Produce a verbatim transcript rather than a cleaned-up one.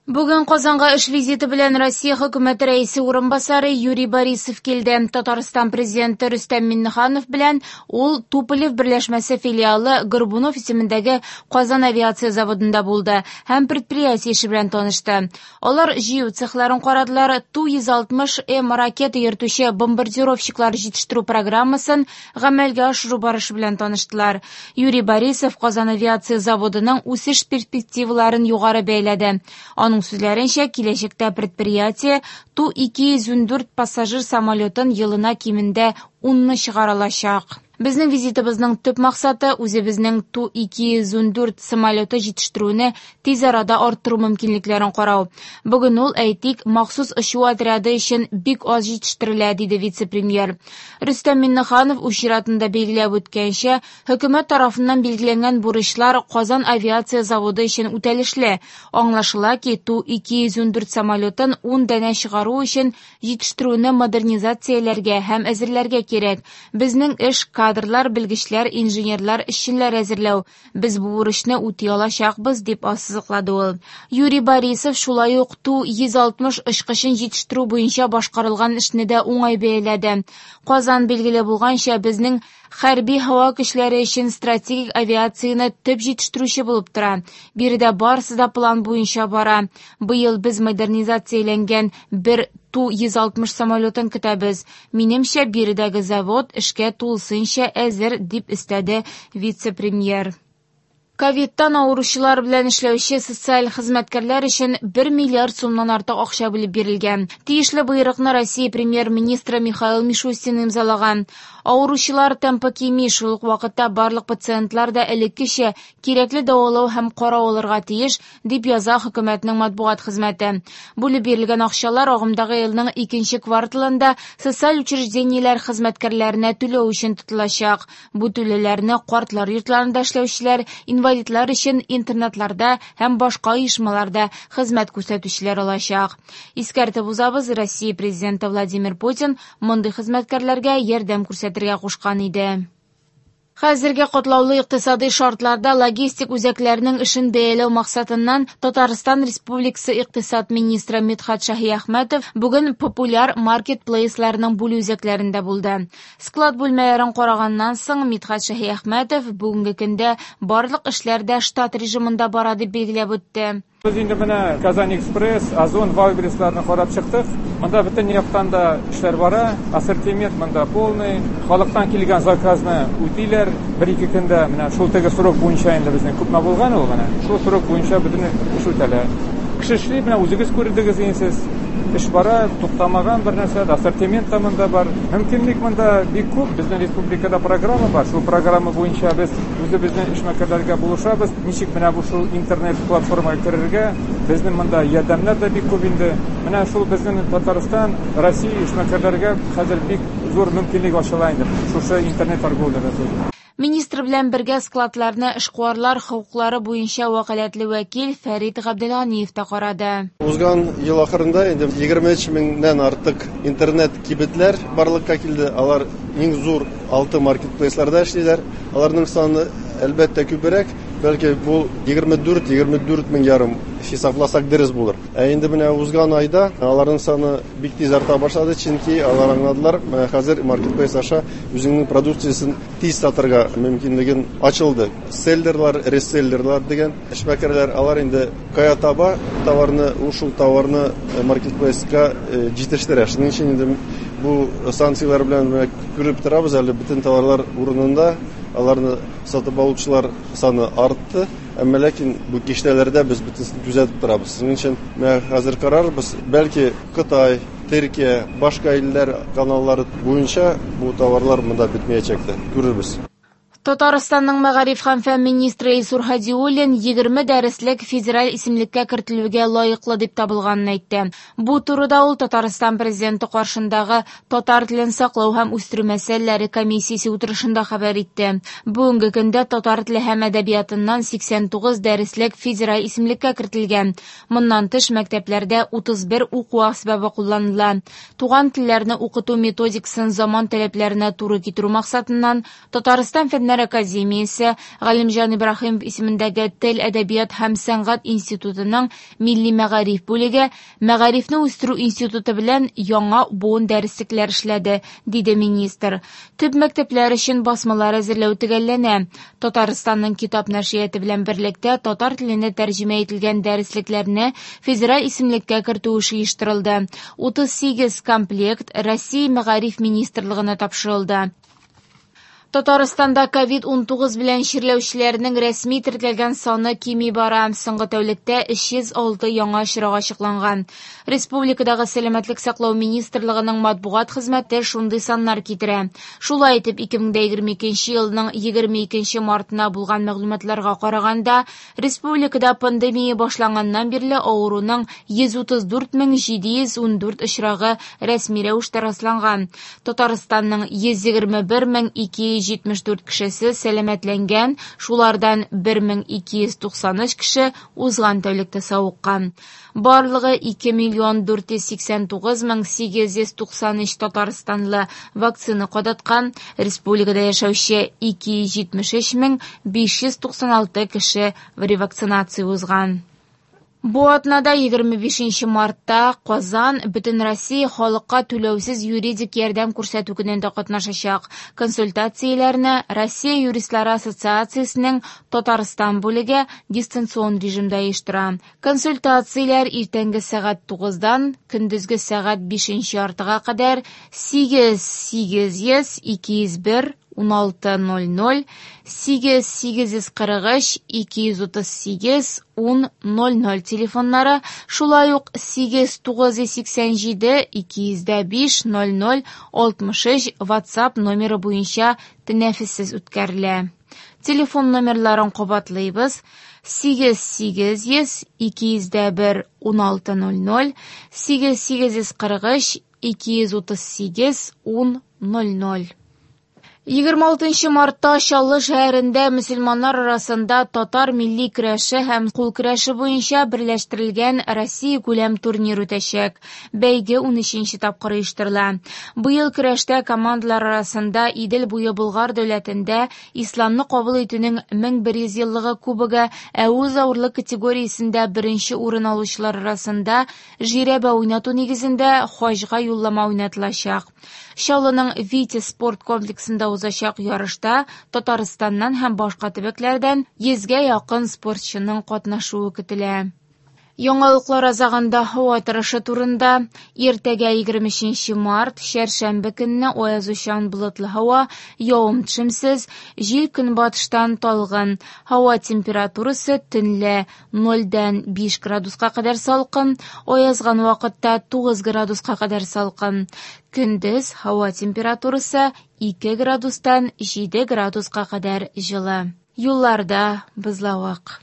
Бүген Казанга эш визиты белән Россия хөкүмәте рәисе урынбасары Юрий Борисов килде. Татарстан президенты Рөстәм Миңнеханов белән ул Туполев берләшмәсе филиалы Горбунов исемендәге Казан авиация заводында булды һәм предприятие эше белән танышты. Алар җыю цехларын карадылар, Ту йөз алтмыш М ракета йөртүче бомбардировщиклар җитештерү программасын гамәлгә ашыру барышы белән таныштылар. Юрий Борисов Казан авиация заводының үсеш перспективаларын югары бәяләде. Аның сүзләренчә, киләчәктә предприятие Ту ике йөз ундүрт пассажир самолетын елына кимендә унны чыгара алачак. Безнең визитыбызның төп максаты үзебезнең Ту ике йөз ундүрт самолеты җитештерүне тиз арада арттыру мөмкинлекләрен карау. Бүген ул, әйтик, махсус очу отряды өчен бик аз җитештерелә, диде вице-премьер. Рөстәм Миңнеханов үз чиратында билгеләп үткәнчә, хөкүмәт тарафыннан билгеләнгән бурычлар Казан авиация заводы өчен үтәлешле. Аңлашыла ки, Ту ике йөз ундүрт самолетын ун данә чыгару өчен җитештерүне модернизацияләргә һәм әзерләргә кирәк. Безнең эш кадрлар, белгечләр, инженерлар, эшчеләр әзерләү. Без бу бурычны үти алачакбыз, дип ассызыклады ул. Юрий Борисов шулай ук Ту йөз алтмыш очкычын җитештерү буенча башкарылган эшне дә уңай бәяләде. Казан билгеле булганча, безнең хәрби һава көчләре өчен стратегик авиацияне төп җитештерүче булып тора. Биредә барысы да план буенча бара. Быел без модернизацияләнгән бер Ту йөз алтмыш самолетын көтәбез. Минемчә, биредәге завод эшкә тулысынча әзер, дип өстәде вице-премьер. Ковидтан авыручылар белән эшләүче социаль хезмәткәрләр өчен бер миллиард сумнан артык акча бүлеп бирелгән. Тиешле боерыкны Россия премьер-министры Михаил Мишустин имзалаган. Авыручылар темпы кими, шул ук вакытта барлык пациентлар да элеккечә кирәкле дәвалау һәм карау алырга тиеш, дип яза хөкүмәтнең матбугат хезмәте. Бүлеп бирелгән акчалар агымдагы елның икенче кварталында социаль учреждениеләр хезмәткәрләренә түләү өчен тотылачак. Бу түләүләрне картлар йортларында эшләүчеләр, инвалидлар өчен интернатларда һәм башка оешмаларда хезмәт күрсәтүчеләр алачак. Искәртеп узабыз, Россия президенты Владимир Путин мондый хезмәткәрләргә ярдәм күрсәтергә кушкан иде. Хәзерге катлаулы икътисади шартларда логистик үзәкләрнең эшен бәяләү максатыннан Татарстан Республикасы икътисад министры Мидхат Шаһиәхмәтов бүген популяр маркетплейсларның бүлү үзәкләрендә булды. Склад бүлмәләрен караганнан соң Мидхат Шаһиәхмәтов бүгенге көндә барлык эшләр дә штат режимында бара дип билгеләп үтте. Без инде менә Казан Экспресс, Озон, Вайлдберрисларны карап чыктык. Монда бөтен яктан да эшләр бара, ассортимент монда полный. Халыктан килгән заказны үтиләр. Бер-ике көндә менә шул теге срок буенча инде безнең күпме булган ул менә. Шул срок буенча бөтен эш үтәлә. Кеше эшли, менә үзегез күрдегез инде сез. Эш бара, туктамаган бер нәрсә, ассортимент та монда бар. Мөмкинлек монда бик күп. Безнең республикада программа бар. Шул программа буенча без үзебезнең эшмәкәрләргә булышабыз. Ничек менә бу шул интернет платформага керергә, безнең монда ярдәмнәр дә бик күп инде. Менә шул безнең Татарстан, Россия эшмәкәрләргә хәзер бик зур мөмкинлек ачыла инде. Шушы интернет торговляда. Министр белән бергә складларны эшкуарлар хокуклары буенча вәкаләтле вәкил Фәрит Габделганиев та карады. Узган ел ахырында инде егерме өч меңнән артык интернет кибетләр барлыкка килде. Алар иң зур алты маркетплейсларда эшлиләр. Аларның саны әлбәттә күбрәк, бәлки бу егерме дүрт, егерме дүрт мең ярым хисапласак дөрес булыр. Ә инде менә узган айда аларның саны бик тиз арта башлады, чөнки алар аңладылар, менә хәзер маркетплейс аша үзеңнең продукциясен тиз сатырга мөмкинлеген ачылды. Селлерлар, реселлерлар дигән эшмәкәрләр, алар инде кая таба товарны, ушул товарны маркетплейска җитештерә. Шуның өчен инде бу санкцияләр белән менә күреп торабыз, әле бөтен товарлар урынында, аларны сатып алучылар саны артты. Әмма ләкин бу киштәләрдә без бөтенесен күзәтеп торабыз. Шуның өчен менә хәзер карарбыз, бәлки Кытай, Төркия, башка илләр каналлары буенча бу товарлар монда бетмәячәк тә, күрербез. Татарстанның мәгариф һәм фән министры Илсур Һадиуллин егерме дәреслек федераль исемлеккә кертелүгә лаеклы дип табылганын әйтте. Бу турыда ул Татарстан президенты каршындагы татар телен саклау һәм үстерү мәсьәләләре комиссиясе утырышында хәбәр итте. Бүгенге көндә татар теле һәм әдәбиятыннан сиксән тугыз дәреслек федераль исемлеккә кертелгән. Моннан тыш мәктәпләрдә утыз бер уку әсбабы кулланыла. Туган телләрне укыту методикасын заман таләпләренә туры китерү максатыннан Татарстан фәннәр Фәннәр академиясе Галимҗан Ибраһимов исемендәге Тел, әдәбият һәм сәнгать институтының Милли мәгариф бүлеге Мәгарифне үстерү институты белән яңа буын дәреслекләр эшләде, диде министр. Төп мәктәпләр өчен басмалар әзерләү төгәлләнә. Татарстанның китап нәшрияты белән берлектә татар теленә тәрҗемә ителгән дәреслекләрне федераль исемлеккә кертү эше оештырылды. утыз сигез комплект Россия Мәгариф министрлыгына тапшырылды. Татарстанда ковид унтугыз белән чирләүчеләрнең рәсми теркәлгән саны кими бара. Соңгы тәүлектә өч йөз алты яңа очрак ачыкланган. Республикадагы Сәламәтлек саклау министрлыгының матбугат хезмәте шундый саннар китерә. Шулай итеп, ике мең егерме икенче елның егерме икенче мартына булган мәгълүматларга караганда, республикада пандемия башланганнан бирле авыруның йөз утыз дүрт мең җиде йөз ун дүрт очрагы рәсми рәвештә расланган. Татарстанның йөз егерме бер мең ике йөз җитмеш дүрт кешесе сәламәтләнгән, шулардан бер мең ике йөз туксан өч кеше узган тәүлектә савыккан. Барлыгы ике миллион дүрт йөз сиксән тугыз мең сигез йөз туксан өч татарстанлы вакцина кадаткан, республикада яшәүче ике йөз җитмеш өч мең биш йөз туксан алты кеше ревакцинация узган. Бу атнада егерме бишенче мартта Казан Бөтенроссия халыкка түләүсез юридик ярдәм күрсәтү көнендә катнашачак. Консультацияләрне Россия юристлары ассоциациясенең Татарстан бүлеге дистанцион режимда оештыра. Консультацияләр иртәнге сәгать тугыздан көндезге сәгать бишенче яртыга кадәр сигез сигез йөз ике йөз бер уналты ноль ноль, сигез сигез йөз кырык өч ике йөз утыз сигез ун ноль ноль телефоннары, шулай ук сигез тугыз йөз сиксән җиде ике йөз дә биш ноль ноль алтмыш өч WhatsApp номеры буенча тәнәфессез үткәрелә. Телефон номерларын кабатлыйбыз: сигез сигез йөз ике йөз дә бер уналты ноль ноль, сигез сигез йөз кырык өч ике йөз утыз сигез ун ноль ноль. Егерме алтынчы мартта Чаллы шәһәрендә мөселманнар арасында татар милли көрәше һәм кул көрәше буенча берләштерелгән Россия күләм турнир үтәчәк. Бәйге унөченче тапкыр оештырыла. Быел көрәштә командалар арасында Идел буе Болгар дәүләтендә исламны кабул итүнең мең бер йөз еллыгы кубогы, ә үз авырлык категориясендә беренче урын алучылар арасында жирәбә уйнату нигезендә хаҗга юллама уйнатылачак. Чаллының Витязь спорт комплексында узачак ярышта Татарстаннан һәм башка төбәкләрдән йөзгә якын спортчының катнашуы көтелә. Яңалыклар азагында һава торышы турында. Иртәгә егерме өченче март, чәршәмбе көнне аязучан болытлы һава, явым-төшемсез, җил көнбатыштан талгын. Һава температурасы төнлә нольдән биш градуска кадәр салкын, аязган вакытта тугыз градуска кадәр салкын. Көндез һава температурасы ике градустан җиде градуска кадәр җылы. Юлларда бозлавык.